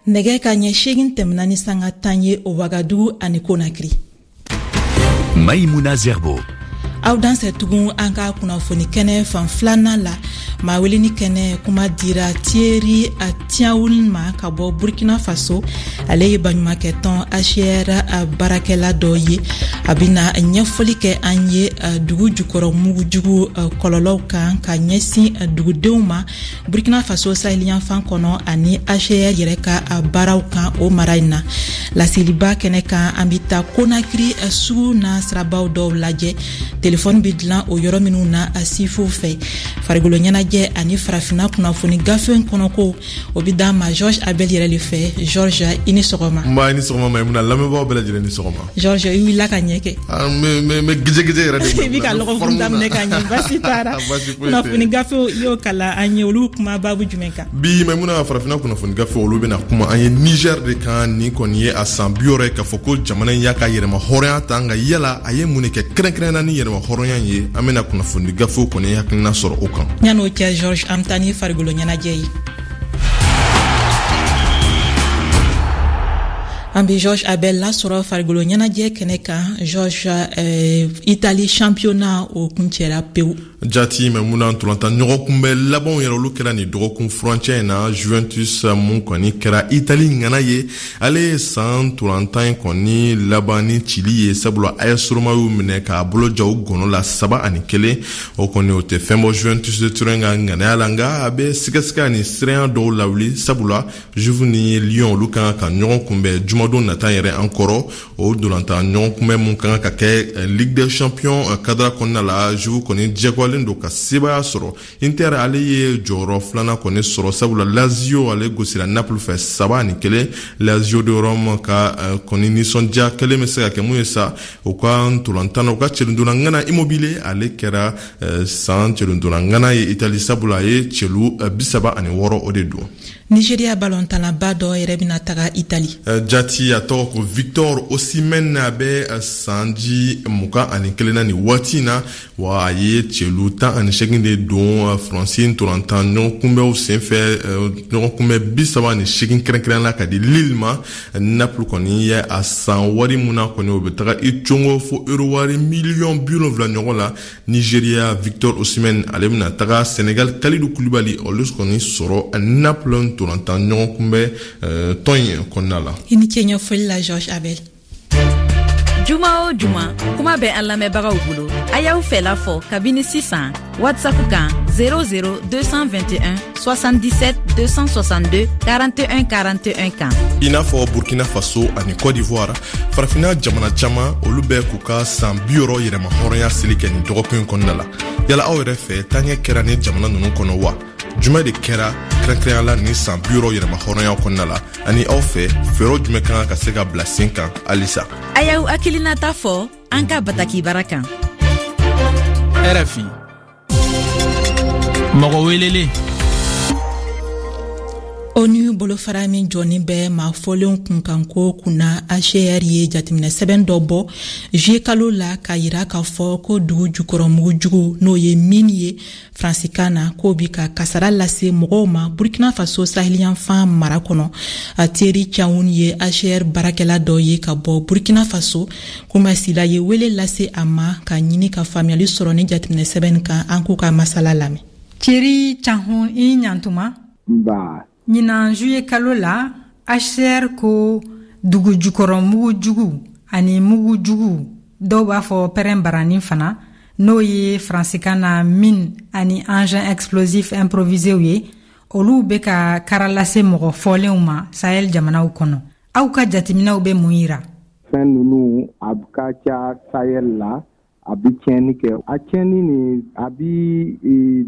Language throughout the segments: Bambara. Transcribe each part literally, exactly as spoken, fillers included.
Nɛgɛ ka ɲɛ seegin tɛmɛna ni sanga tan ye o Wagadugu ani Konakiri. Maïmouna Zerbo. Aw dansɛ tugun an ka kunnafoni kɛnɛ fan filanan la. Maa weleni kɛnɛ kuma dira Thierry Tiawun ma ka bɔ Burkina Faso. Ale ye baɲumankɛtɔn H C R baarakɛla dɔ ye. A bɛna ɲɛfɔli kɛ an ye dugu jukɔrɔ mugujugu kɔlɔlɔw kan ka ɲɛsin dugudenw ma Burkina Faso saheliyanfan kɔnɔ, ani H C R yɛrɛ ka baaraw kan o mara in na. Laseliba kɛnɛ kan, an bɛ taa Konakiri sugu n'a sirabaw dɔw lajɛ, telefɔni bɛ dilan o yɔrɔ minnu na sifuw fɛ. Farikolo ɲɛnajɛ ani farafinna kunnafoni gafe kɔnɔko, o bɛ d'an ma Georges Abel yɛrɛ de fɛ. Georges, i ni sɔgɔma. Nba, i ni sɔgɔma Maimuna, lamɛnbagaw bɛɛ lajɛlen ni sɔgɔma. Georges, i wulila ka ɲɛ kɛ. N bɛ gijɛgijɛ yɛrɛ de. I bɛ ka lɔgɔkun daminɛ ka ɲɛ, baasi t'a la. Kunnafoni gafew, i y'o kalan an ye, olu kuma baabu jumɛn kan? Bi Maimuna, farafinna kunnafoni gafe, olu bɛna kuma an ye Niger de kan. Nin kɔni ye a san bi wɔɔrɔ ye k'a fɔ ko jamana in y'a ka yɛrɛma hɔrɔnya ta, nka yala a ye mun de kɛ kɛrɛnkɛrɛnnenya ni yɛrɛma hɔrɔnya ye? An bɛna kunnafoni gafew kɔni hakilina sɔrɔ o kan. Yan'o cɛ Georges, an bɛ taa ni farikolo ɲɛnajɛ ye. An bɛ Georges Abel lasɔrɔ farikolo ɲɛnajɛ kɛnɛ kan. Georges, euh, Italie championnat, o kuncɛra pewu. Jati Maimuna, ntolantan ɲɔgɔn kunbɛ labanw yɛrɛ, olu kɛra nin dɔgɔkun furancɛ in na. Juventus mun kɔni kɛra Itali ŋana ye, ale ye san ntolantan in kɔni laban ni cili ye, sabula A S Roma y'u minɛ k'a bolo ja u gɔnɔ la saba ani kelen. O kɔni, o tɛ fɛn bɔ Juventus de Turin ka ŋanaya la, nka a bɛ sigasiga ni siranya dɔw lawuli, sabula Juve ni Lyon, olu kan ka ɲɔgɔn kunbɛn jumadon nata yɛrɛ an kɔrɔ. O ntolantan ɲɔgɔn kunbɛn mun kan ka kɛ Ligue des champions cadre kɔnɔna la, Juve kɔni diyagoyalen don ka sebaya sɔrɔ. Inter, ale ye jɔyɔrɔ filanan kɔni sɔrɔ, sabula Lazio, ale gosira Napoli fɛ saba ani kelen. Lazio de Rome ka kɔni nisɔndiya kelen bɛ se ka kɛ mun ye sa, u ka ntolantan na, u ka cɛlindonna ŋana Immobile, ale kɛra san cɛlindonna ŋana ye Itali, sabula a ye cɛlu bi saba ani wɔɔrɔ o de don. Nigeria balontanlaba dɔ yɛrɛ bɛna taga Itali. Jati, a tɔgɔ ko Victor Osimhen. A bɛ sanji mugan ani kelen na nin waati in na wa, a ye cɛlu tan ani seegin de don Faransi ntolantan ɲɔgɔn kunbɛnw senfɛ, ɲɔgɔn kunbɛn bi saba ani seegin, kɛrɛnkɛrɛn la ka di Lille ma. Napoli kɔni ye a san wari mun na kɔni, o bɛ taga i congo fo euro wari miliyɔn bi wolonwula ɲɔgɔn la. Nigeria Victor Osimhen, ale bɛna taga Senegal Kalidou Koulibaly, olu kɔni sɔrɔ Napoli ntolantan ɲɔgɔn kunbɛn tɔn in kɔnɔna la. I ni ce ɲɛfɔli la, Georges Abel. Juma o juma, kuma bɛ an lamɛnbagaw bolo. A y'aw fɛla fɔ kabini sisan WhatsApp kan zéro zéro deux cent vingt et un soixante-dix-sept deux cent soixante-deux quarante et un quarante et un kan. I n'a fɔ Burkina Faso ani Côte d'Ivoire, farafinna jamana caman, olu bɛ k'u ka san bi wɔɔrɔ yɛrɛma hɔrɔnya seli kɛ nin dɔgɔkun in kɔnɔna la. Yala aw yɛrɛ fɛ, taaɲɛ kɛra ni jamana ninnu kɔnɔ wa? Jumɛn de kɛra kɛrɛnkɛrɛnya la nin san bi wɔɔrɔ yɛrɛma hɔrɔnya kɔnɔna la? Ani aw fɛ, fɛɛrɛw jumɛn kan ka se ka bila sen kan halisa? A y'aw hakilinata fɔ an ka bataki bara kan. R F I, mɔgɔ welelen. ONU bolofara min jɔnin bɛ maa fɔlenw kunkanko kunna, H C R, ye jateminɛ sɛbɛn dɔ bɔ juillet kalo la k'a yira k'a fɔ ko dugu jukɔrɔ mugujugu, n'o ye mine ye faransikan na, k'o bi ka kasara lase mɔgɔw ma Burkina Faso saheliyanfan mara kɔnɔ. Thierry Tchaoun ye H C R baarakɛla dɔ ye ka bɔ Burkina Faso. Kumasila ye wele lase a ma ka ɲini ka faamuyali sɔrɔ ni jateminɛ sɛbɛn kan. An k'u ka masala lamɛn. Thierry Tchaoun, i ɲantuma. Nba. Ɲinan juillet kalo la, H C R ko dugu jukɔrɔ mugujugu ani mugujugu, dɔw b'a fɔ pɛrɛn barani fana, n'o ye faransikan na mine ani engin explosif improviséw ye, olu bɛ ka kara lase mɔgɔ fɔlenw ma Sahel jamanaw kɔnɔ. Aw ka jateminɛw bɛ mun yira? Fɛn ninnu, a ka ca Sahel la, a bi tiɲɛni kɛ. A tiɲɛni nin, a bi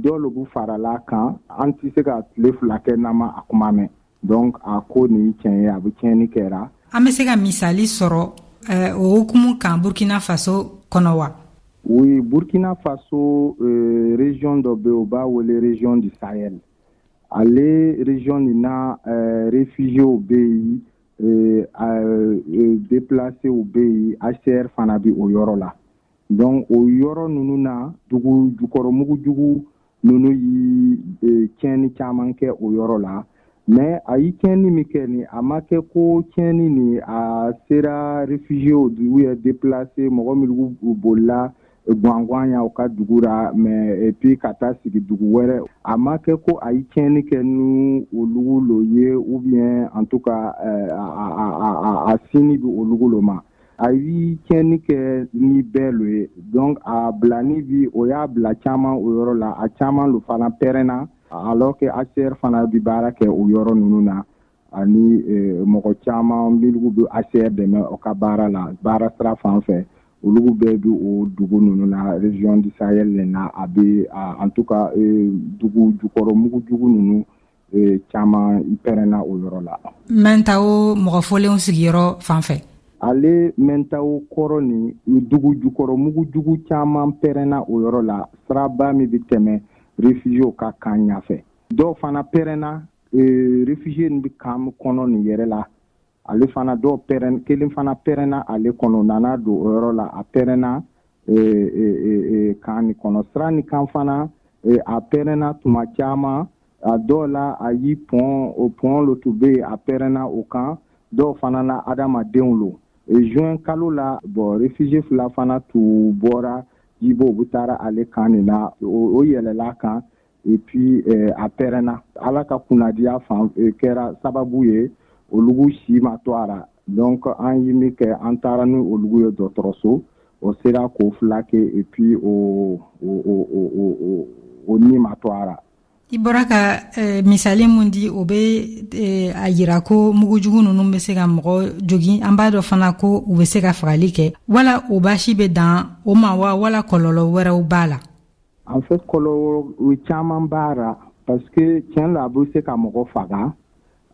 dɔ lobu farala kan. An tɛ se ka tile fila kɛ n'an ma a kuma mɛn. Donc a ko nin tiɲɛ ye, a bɛ tiɲɛni kɛra. An bɛ se ka misali sɔrɔ o hukumu kan Burkina Faso kɔnɔ wa? Oui, Burkina Faso, euh, région dɔ bɛ yen, u b'a wele région du Sahel. Ale région nin na, euh, réfugiés bɛ yen, euh, euh, déplacés bɛ yen. H C R fana bɛ o yɔrɔ la. Donc o yɔrɔ ninnu na, dugu jukɔrɔ mugujugu ninnu yi tiɲɛni caman kɛ o yɔrɔ la. Mais a ye tiɲɛni min kɛ nin, a ma kɛ ko tiɲɛni nin a sera réfugiés ou bien déplacés, mɔgɔ minnu bolila gwangan ya u ka dugu ra, mais et puis ka taa sigi dugu wɛrɛ. A ma kɛ ko a ye tiɲɛni kɛ ni olugu lo ye, ou bien en tout cas a, a, a, a sini bi olugu lo ma. A ye tiɲɛni kɛ ni bɛɛ lo ye. Donc a bilani bi, o y'a bila caman o yɔrɔ la, a caman lo fana pɛrɛnna, alors que H C R fana bi baara kɛ o yɔrɔ ninnu na, ani mɔgɔ caman minnu bɛ H C R dɛmɛ o ka baara la, baara sira fan fɛ, olu bɛɛ bi o dugu ninnu na, région du Sahel na. A bɛ, en tout cas, dugu jukɔrɔ mugujugu ninnu caman pɛrɛnna o yɔrɔ la. Mɛntawo mɔgɔ fɔlenw sigiyɔrɔ fan fɛ. Ale Mɛntawo kɔrɔ ni dugu jukɔrɔ mugujugu caman pɛrɛnna o yɔrɔ la, siraba min bɛ tɛmɛ réfugiés ka kan ɲɛfɛ. Dɔw fana pɛrɛnna réfugiés bɛ kan kɔnɔ nin yɛrɛ la. Ale fana dɔw pɛrɛn, kelen fana pɛrɛnna ale kɔnɔ, nana don o yɔrɔ la, a pɛrɛnna kan nin kɔnɔ. Sira nin kan fana, a pɛrɛnna tuma caman. A dɔw la, a y'i pɔn, o pɔn lo tun bɛ yen, a pɛrɛnna o kan. Dɔw fana na, adamadenw lo. Juin kalo la, bon, réfugié fila fana tun bɔra Jibo, u taara ale kan nin na, o yɛlɛla kan, et puis a pɛrɛnna. Ala ka kunnadiya fan kɛra sababu ye, olugu si ma to a la. Donc an ye min kɛ, an taara ni olugu ye dɔgɔtɔrɔso, o sera k'o fila kɛ, et puis o o o o o ni ma to a la. I bɔra ka eh, misali mun di, o bɛ eh, a yira ko mugujugu ninnu bɛ se ka mɔgɔ jogin. An b'a dɔn fana ko u bɛ se ka fagali kɛ. Wala o baasi bɛ dan o ma wa, wala kɔlɔlɔ wɛrɛw b'a la? En fait, kɔlɔlɔ caman b'a la, parce que tiɲɛ la, a bɛ se ka mɔgɔ faga.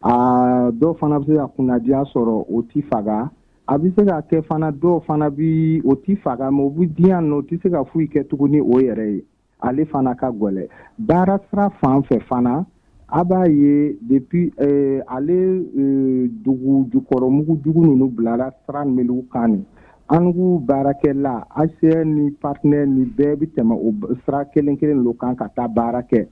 A dɔw fana bɛ se ka kunnadiya sɔrɔ, o ti faga. A bɛ se ka kɛ fana, dɔw fana bi o ti faga, mais o bɛ diyan nɔ, o tɛ se ka foyi kɛ tuguni o yɛrɛ ye. Ale fana ka gwɛlɛ baara sira fan fɛ fana. A b'a ye depuis eh, ale eh, dugu jukɔrɔ mugujugu ninnu bilara sira minnu kan nin, an k'u baarakɛla H C R ni partenaire ni bɛɛ bɛ tɛmɛ o sira kelen kelen lo kan ka taa baara kɛ.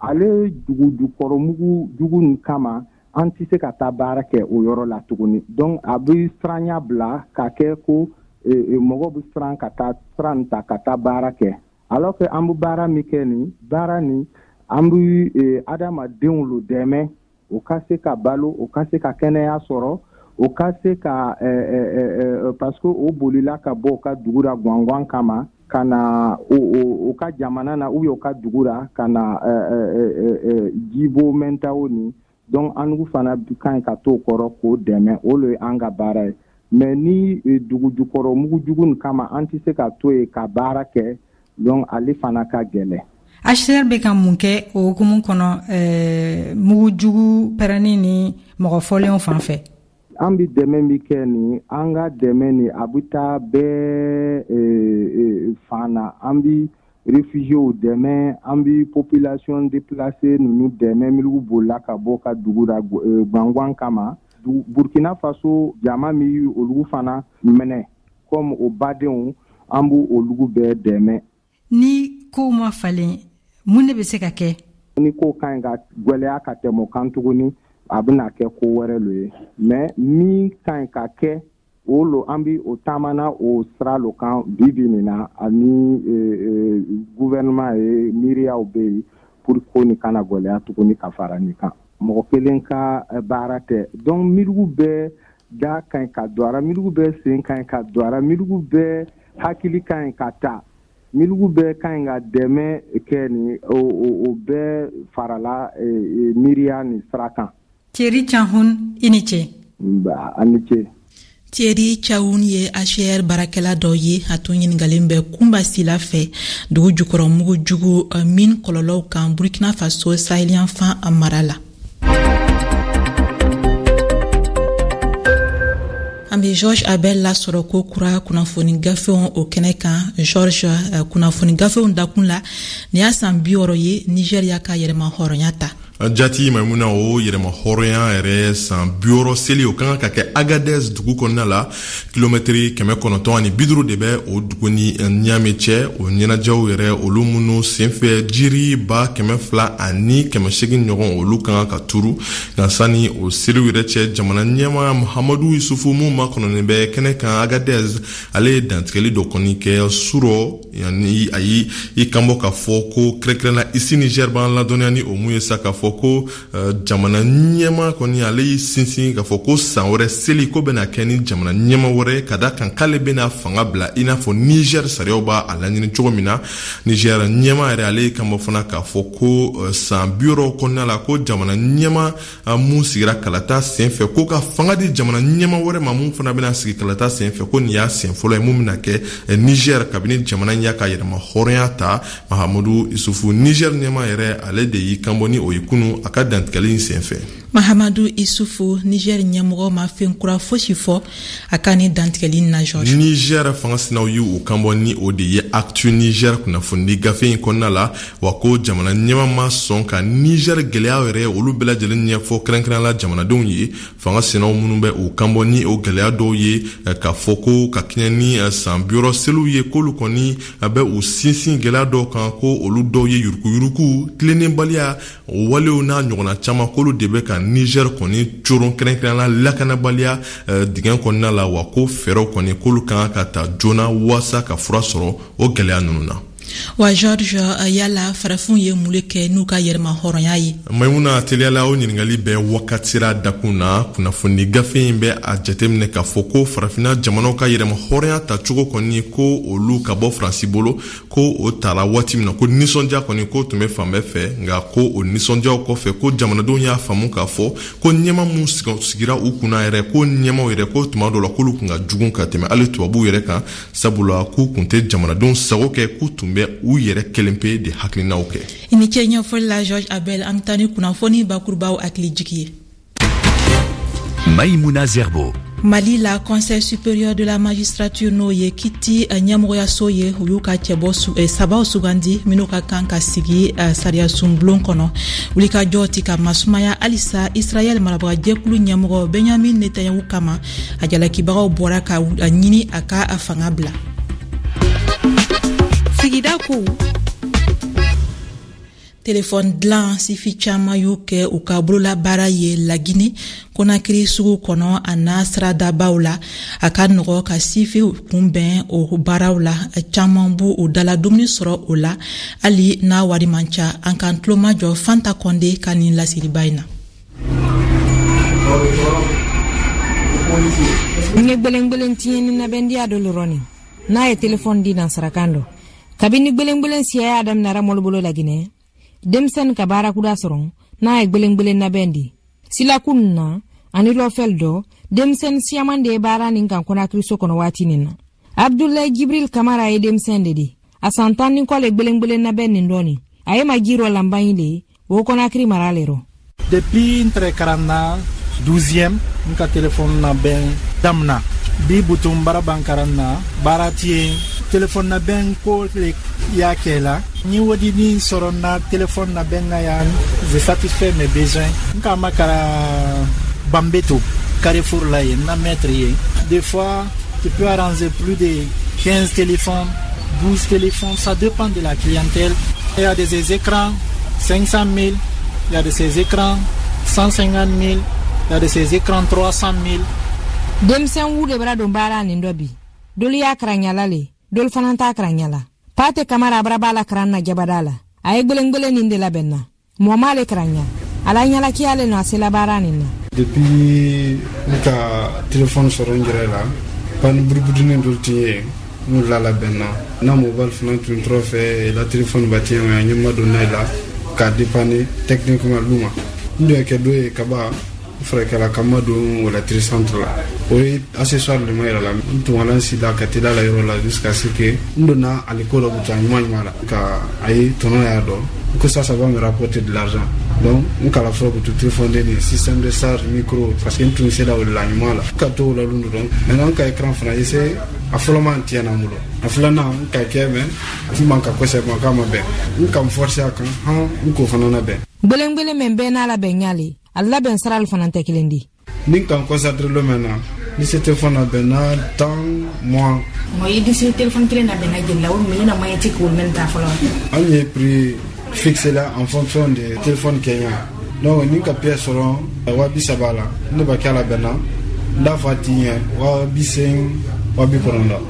Ale dugu jukɔrɔ mugujugu nin kama, an tɛ se ka taa baara kɛ o yɔrɔ la tuguni. Donc a bɛ siranya bila ka kɛ ko eh, mɔgɔ bɛ siran ka taa sira nin ta ka taa baara kɛ, alors que an bɛ baara min kɛ nin, baara nin, an bɛ eh, adamadenw lo dɛmɛ, o ka se ka balo, o ka se ka kɛnɛya sɔrɔ, o ka se ka eh, eh, eh, parce que o bolila ka bɔ o ka dugu la gwangan kama ka na o, o, o ka jamana na, ou bien o ka dugu la ka na Jibo Mɛntawo nin. Donc an fana ka ɲi ka t'o kɔrɔ k'o dɛmɛ, o le ye an ka baara ye. Mais ni dugu jukɔrɔ mugujugu nin kama, an tɛ se ka to yen ka baara kɛ. Donc ale fana ka gɛlɛn. H C R bɛ ka mun kɛ o hukumu kɔnɔ, eh, mugujugu pɛrɛnni ni mɔgɔ fɔlenw fan fɛ? An bɛ dɛmɛ min kɛ nin, an ka dɛmɛ nin, a bɛ taa bɛɛ fan na. An bɛ réfugiés dɛmɛ, an bɛ population déplacée ninnu dɛmɛ, minnu bolila ka bɔ ka dugu la gwangan kama. Burkina Faso jama min olu fana minɛ comme o badenw, an b'o olu bɛɛ dɛmɛ. Ni kow ma falen, mun de bɛ se ka kɛ? Ni ko ka ɲi ka gwɛlɛya ka tɛmɛ o kan tuguni, a bɛna kɛ ko wɛrɛ lo ye. Mais min ka ɲi ka kɛ, o lo an bi o taamana o sira lo kan bi bi nin na, ani gouvernement ye miiriyaw bɛ yen pour ko nin kana gwɛlɛya tuguni ka fara nin kan. Mɔgɔ kelen ka baara tɛ. Donc miirigu bɛɛ da ka ɲi ka don a ra, miirigu bɛɛ sen ka ɲi ka don a ra, miirigu bɛɛ hakili ka ɲi ka ta, miirigu bɛɛ ka ɲi ka dɛmɛ kɛ nin, o o bɛɛ farala miiriya nin sira kan. Thierry Tchaouna, i ni ce. Nba, a ni ce. Thierry Tchaouna ye H C R baarakɛla dɔ ye. A tun ɲiningalen bɛ Kunba Sila fɛ dugu jukɔrɔ mugujugu min kɔlɔlɔw kan Burkina Faso saheliyanfan mara la. An bɛ George Abel lasɔrɔ ko kura kunnafoni gafew o kɛnɛ kan. George, kunnafoni gafew dakun la, nin y'a san bi wɔɔrɔ ye Niger y'a ka yɛrɛma hɔrɔnya ta. Jati Maimuna, o yɛrɛma hɔrɔnya yɛrɛ san bi wɔɔrɔ seli, o kan ka kɛ Agadez dugu kɔnɔna la. Kilomɛtiri kɛmɛ kɔnɔntɔn ani bi duuru de bɛ o dugu ni Niamey cɛ. O ɲɛnajɛw yɛrɛ, olu minnu senfɛ jiri ba kɛmɛ fila ani kɛmɛ seegin ɲɔgɔn, olu kan ka turu. Nka sani o seliw yɛrɛ cɛ, jamana ɲɛmaa Muhamadu Yusufu mun makɔnɔnen bɛ kɛnɛ kan Agadez, ale ye dantigɛli dɔ kɔni kɛ surɔ. Yanni a yi i kanbɔ k'a fɔ ko kɛrɛnkɛrɛnna ici Niger b'an ladɔnniya ni o mun ye sa, k'a fɔ ko jamana ɲɛma kɔni, ale y'i sinsin k'a fɔ ko san wɛrɛ seli ko bɛna kɛ ni jamana ɲɛma wɛrɛ, ka da kan k'ale bɛna fanga bila i n'a fɔ Niger sariyaw b'a a laɲini cogo min na. Niger ɲɛma yɛrɛ, ale y'i kanbɔ fana k'a fɔ ko san bi wɔɔrɔ kɔnɔna la, ko jamana ɲɛma mun sigira kalata senfɛ, ko ka fanga di jamana ɲɛma wɛrɛ ma mun fana bɛna sigi kalata senfɛ, ko nin y'a sen fɔlɔ ye mun bɛna kɛ Niger kabini jamana in y'a ka yɛrɛma hɔrɔnya ta. Mahamadu Isufu, Niger ɲɛma yɛrɛ, ale de y'i kanbɔ ni o ye kunu a ka dantigɛli in senfɛ. Mahamadu Isufu, Niger ɲɛmɔgɔ ma fɛn kura fosi fɔ a ka ni dantigɛli na, George. Niger fanga sinaw y'u kanbɔ ni o de ye Actu Niger kunnafoni gafe in kɔnɔna la, wa ko jamana ɲɛma ma sɔn ka Niger gɛlɛya yɛrɛ olu bɛɛ lajɛlen ɲɛfɔ kɛrɛnkɛrɛnnenya la jamanadenw ye. Fanga sinaw minnu bɛ u kanbɔ ni o gɛlɛya dɔw ye, k'a fɔ ko ka kɛɲɛ ni san bi wɔɔrɔ seliw ye, k'olu kɔni bɛ u sinsin gɛlɛya dɔw kan, ko olu dɔw ye yurukuyuruku, tilennenbaliya walew n'a ɲɔgɔnna caman, k'olu de bɛ ka Niger kɔni coron, kɛrɛnkɛrɛnnenya lakanabaliya dingɛ kɔnɔna la, wa ko fɛɛrɛw kɔni k'olu kan ka ta joona waasa ka fura sɔrɔ o gɛlɛya ninnu na. Wa George, yala farafinw ye mun kɛ n'u ka yɛrɛma hɔrɔnya ye? Maimuna, teliyala o ɲininkali bɛ wakatira dakun na. Kunnafoni gafe in bɛ a jateminɛ k'a fɔ ko farafinna jamanaw ka yɛrɛma hɔrɔnya tacogo kɔni, ko olu ka bɔ Faransi bolo, ko o tara waati min na, ko nisɔndiya kɔni ko tun bɛ fan bɛɛ fɛ. Nka ko o nisɔndiyaw kɔfɛ, ko jamanadenw y'a faamu k'a fɔ ko ɲɛma mun sigira u kunna yɛrɛ, ko ɲɛmaw yɛrɛ, ko tuma dɔw la k'olu kun ka jugu ka tɛmɛ hali tubabuw yɛrɛ kan, sabula k'u kun tɛ jamanadenw sago kɛ, k'u tun bɛ u yɛrɛ kelen pe de hakilinaw kɛ. I ni ce ɲɛfɔli la, George Abel. An bɛ taa ni kunnafoni bakurubaw hakili jigi ye. Maïmouna Zerbo. Mali la, Conseil supérieur de la magistrature, n'o ye kiti ɲɛmɔgɔyaso ye, u y'u ka cɛbɔ sabaw sugandi minnu ka kan ka sigi sariyasunbulon kɔnɔ. Wulikajɔ ti ka masumaya halisa Israɛl marabagajɛkulu ɲɛmɔgɔ Benjamin Netanyahu kama. A jalakibagaw bɔra ka ɲini a ka a fanga bila. Sigida kow. Telefɔni dilan sifi caman y'u kɛ u ka bololabaara ye Lagine Konakiri sugu kɔnɔ a n'a siradabaw la. A ka nɔgɔ ka sifiw kunbɛn o baaraw la, caman b'u u dala dumuni sɔrɔ o la hali n'a wari man ca. An k'an tulomajɔ Fanta Kɔnde ka nin laseliba in na. N ye gbelengbelen tiɲɛni nabɛndiya dɔ lɔrɔni n'a ye telefɔni di nansarakan dɔ. Kabini gbelengbelen siya y'a daminɛra mɔlu bolo Laginɛ, denmisɛnnin ka baara kura sɔrɔ n'a ye gbelengbelen nabɛn di silakun na ani lɔfɛl dɔ, denmisɛnnin siyaman de ye baara nin kan Konakiriso kɔnɔ waati nin na. Abdulayi Jibril Kamara ye denmisɛn de di, a san tan ni kɔ le gbelengbelen nabɛn nin dɔɔni. A ye majirɔ lanbanyi le o Konakiri mara le rɔ. Depuis n tɛrɛ karan na douzième, n ka telefɔni nabɛn damina. Bi butun baara ban karan na, baara ti yen, telefɔni nabɛn ko le y'a kɛ la. Ni wodini sɔrɔ na telefɔni nabɛn na yan, je satisfait mes besoins. N ka makara Bambeto Carrefour la yen, na maître ye. Des fois tu peux arranger plus de quinze téléphones, douze téléphones, ça dépend de la clientèle. Il y a des écrans cinq cent mille, il y a de ces écrans cent cinquante mille, il y a de ces écrans trois cent mille. Denmisɛn wu de bara don baara nin dɔ bi. Dolu y'a karan le, dolu fana t'a karan la. Pate Kamara bara b'a la karan na jabada la. A ye gbelengbelen nin de labɛn na. Mɔgɔ m'ale karan ɲa. Ala ɲalakiya le nɔ a sela baara nin na. Depuis n ka telefɔni sɔrɔ n yɛrɛ la, pani buruburunin dɔ tun ye n la labɛn na. Na mobile fana tun tɔrɔ fɛ la telefɔni ba tiɲɛ n ye ma don n'a la k'a dépanner techniquement lu ma. N dun ye kɛ dɔ ye kaba furakɛla ka ma don o la centre la. O ye accessoire de ma yɛrɛ la. N tun ka si la ka teliya la yɔrɔ la jusqu'à ce que n donna ale ko dɔ buta ɲuman ɲuman la ka a ye tɔnɔ y'a dɔn ko ça ça va me rapporter de l'argent. Donc n kala fɔlɔ butu téléphone den système de charge micro parce que n tun sera o la ɲuman la ka to o la lun dɔrɔn. Maintenant n ka écran fana essayer a fɔlɔ man tiɲɛna n bolo, a filanan n ka kɛ mɛ n man ka kosɛbɛ k'a ma bɛn, n ka n forcer a kan han n k'o fana labɛn. Gbelengbelen min bɛɛ n'a labɛn ɲale a labɛn sarali fana tɛ kelen di. Ni n ka n concentré lo mɛn na ni se téléphone labɛn na tan mois. Mɔ i di se téléphone kelen labɛn na jeli la o minɛ na moyen ti k'o mɛn ta fɔlɔ. An ye prix fixé la en fonction de téléphone kɛɲa. Donc ni ka pièce sɔrɔ wa bi saba la ne b'a kɛ a labɛn na n t'a fɔ a ti ɲɛ wa bi seegin wa bi kɔnɔntɔn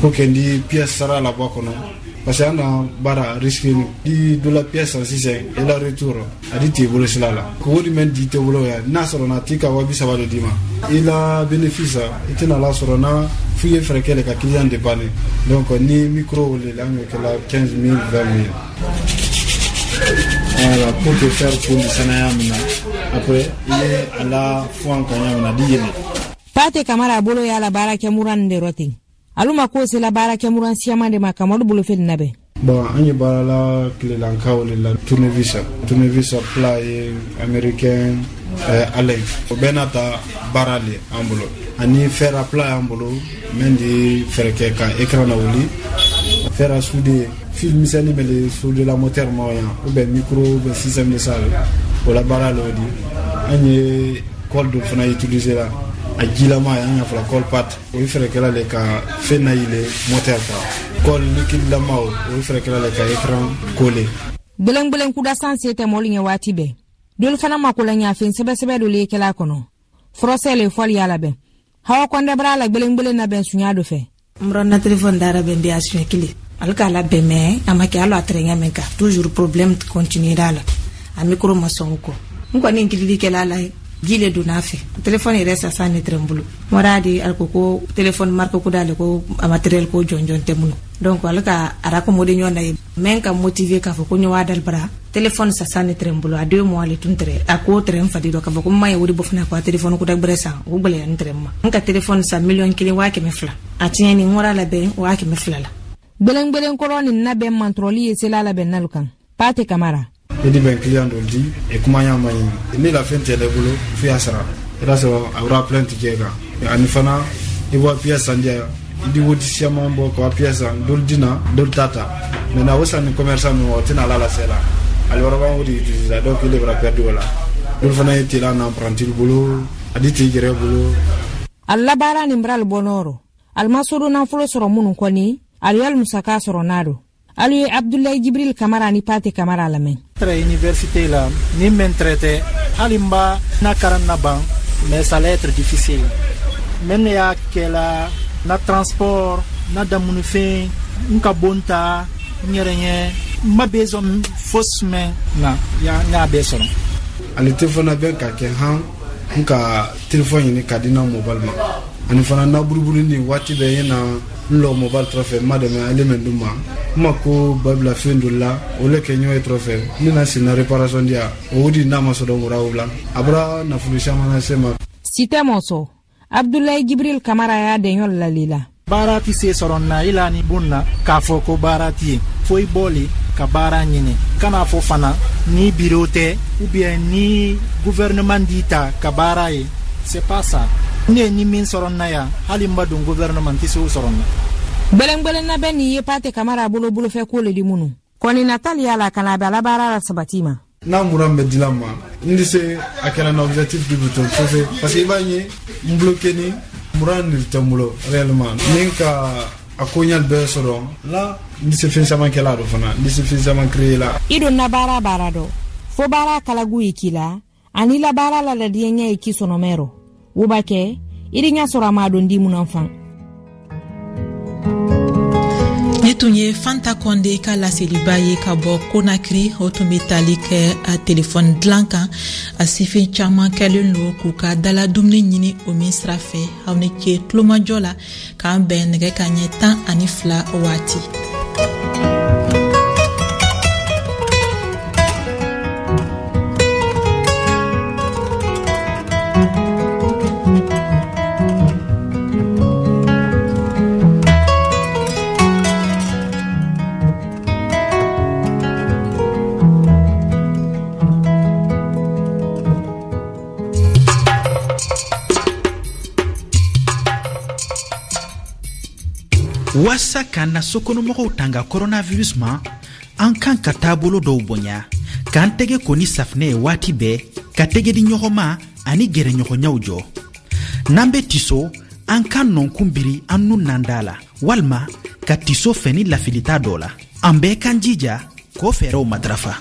pour que n di pièce sara la bɔ a kɔnɔ parce que an na baara risque ni di dɔ la pièce san sisan i la retour a di t'i bolo sira la ko o de mɛn di tɛ bolo ya n'a sɔrɔ na t'i ka wa bi saba de d'i ma i la bénéfice i tɛna la sɔrɔ na f'i ye fɛɛrɛ kɛ de ka client dépanner. Donc ni micro le la an kɛ la quinze mille vingt mille. Voilà, pour te faire pour le sanaya mina après il est à la fois en kanya mina di yele. Pate Kamara bolo ya la baara kɛ muran de rotin. Aluma ko se la baara kɛ muran siyaman de ma Kamaru bolo fɛn na bɛn. Bon an ye baara la tilelankaw de la tournevis tournevis plat ye américain euh, Allen o bɛɛ n'a ta baara le an bolo ani fer à plat y'an bolo min di fɛɛrɛ kɛ ka écran lawuli fer à souder fil misɛnnin bɛ le souder la moteur ma yan ou bien micro ou bien système de salle o la baara le o di. An ye colle dɔ fana utiliser la a jilama an y'a fɔla colle pâte o ye fɛɛrɛ kɛla le ka fɛn nayɛlɛ moteur kan colle liquide lama o ye fɛɛrɛ kɛla le ka écran coller. Gbelengbelen kuda san se tɛ mɔli ɲɛ waati bɛɛ dolu fana mako la ɲafɛn sɛbɛsɛbɛ dɔ le kɛla kɔnɔ furɔsɛ le fɔli y'a labɛn hawa kɔndɛ bara la gbelengbelen labɛn sunya dɔ fɛ. N bɔra na téléphone dara bɛn di a siɲɛ kelen ale k'a labɛn mɛ a ma kɛ hali a tɛrɛ ɲɛ min kan toujours problème continuera la a micro ma sɔn o kɔ n kɔni n kilili kɛla la ye ji le donna a fɛ téléphone yɛrɛ sasa ne tɛrɛ n bolo mɔra di ale ko ko téléphone marque ko d'ale ko a matériel ko jɔnjɔn tɛ minnu donc ale ka a racommoder ɲɔgɔn na ye mɛ ka motiver k'a fɔ ko ɲɔ dali bara téléphone sasa ne tɛrɛ n bolo a deux mois le tun tɛrɛ a ko tɛrɛ n fadi dɔ k'a fɔ ko n ma ye o de bɔ fana ko a téléphone ko da gbɛrɛ san o gbɛlɛya n tɛrɛ n ma n ka téléphone san miliyɔn kelen waa kɛmɛ fila a tiɲɛni n wara labɛn waa kɛmɛ fila la. Gbelengbelen kɔrɔ nin labɛn mantɔrɔli ye sela labɛn nalu kan Pate Kamara. I di bɛn client dɔ di e kuma ɲa ma ɲini ni la fɛn tɛ ne bolo f'i y'a sara i b'a sɔrɔ a bɔra plainte kɛ kan ani fana i bɔ pièce san diya i di wodi siaman bɔ ka pièce san dolu di na dolu t'a ta maintenant o san ni commerçant min o tɛna ala lase la ale wɛrɛ b'an o de utiliser donc il bɛra perdu o la dolu fana ye tela na apprenti bolo a di t'i yɛrɛ bolo. A labaara nin b'ale bɔ nɔrɔ ali ma sodo nafolo sɔrɔ minnu kɔni ali y'ali musaka sɔrɔ n'a don. Alu ye Abdoulaye Jibril Kamara ni Pate Kamara lamɛn. Tɛrɛ université la ni mɛn traité hali n ba na karan na ban mais ça allait être difficile. Mɛ ne y'a kɛla na transport na damunifɛn n ka bon ta n yɛrɛ ɲɛ n ma besoin fosi mɛn na ya n y'a bɛɛ sɔrɔ. Ale téléphone bɛ ka kɛ han n ka téléphone ɲini ka di na mobile ma ani fana na buruburu ni waati bɛɛ ye na n lɔ mobile tɔrɔ fɛ n ma dɛmɛ ale mɛn d'u ma n ma ko babila fɛn dɔ la o le kɛ ɲɔgɔn ye tɔrɔ fɛ ne na sen na réparation di yan o di n'a ma sɔrɔ wura o la a bɔra nafolo caman lase ma. Sitɛ mɔsɔ Abdoulaye Jibril Kamara y'a dɛɲɔ lali la. Baara ti se sɔrɔ na i la ni bon na k'a fɔ ko baara ti ye fo i bɔli ka baara ɲini kana fɔ fana ni bureau tɛ ou bien ni gouvernement d'i ta ka baara ye c'est pas ça. Ne ni min sɔrɔ na yan hali n ma don gouvernement tɛ se o sɔrɔ na. Gbɛlɛngbɛlɛn labɛn nin ye Pate Kamara bolo bolofɛ ko le di minnu kɔni natali y'a la ka na a bɛ ala baara la sabati ma. N'a mura bɛ dilan ma n tɛ se a kɛra na objectif du bouton fɔfɛ parce que i b'a ye n bloqué ni mura nin tɛ n bolo réellement ni n ka a ko ɲali bɛɛ sɔrɔ la n tɛ se fɛn caman kɛla dɔ fana n tɛ se fɛn caman créer la. I donna baara baara dɔ fo baara kalagu ye k'i la ani la baara la ladiɲɛ ɲɛ ye k'i sɔnɔmɛ rɔ wo b'a kɛ i di ɲɛ sɔrɔ a ma don di mun fan. Ni tun ye Fanta Kɔnde ka laseliba ye ka bɔ Konakiri o tun bɛ tali kɛ a telefɔni dilan kan a sifin caman kɛlen don k'u ka dala dumuni ɲini o min sira fɛ aw ni ce tulomajɔ la k'an bɛn nɛgɛ ka ɲɛ tan ani fila waati. Waasa k'an na sokɔnɔmɔgɔw tanga coronavirus ma, an kan ka taabolo dɔw bonya, k'an tɛgɛ ko ni safinɛ ye waati bɛɛ, ka tɛgɛ di ɲɔgɔn ma ani gɛrɛɲɔgɔnyaw jɔ. N'an be tiso, an ka nɔnkun biri an nun n'an da la, walima ka tiso fɛ ni lafilita dɔ la. An bɛɛ k'an jija k'o fɛɛrɛw matarafa.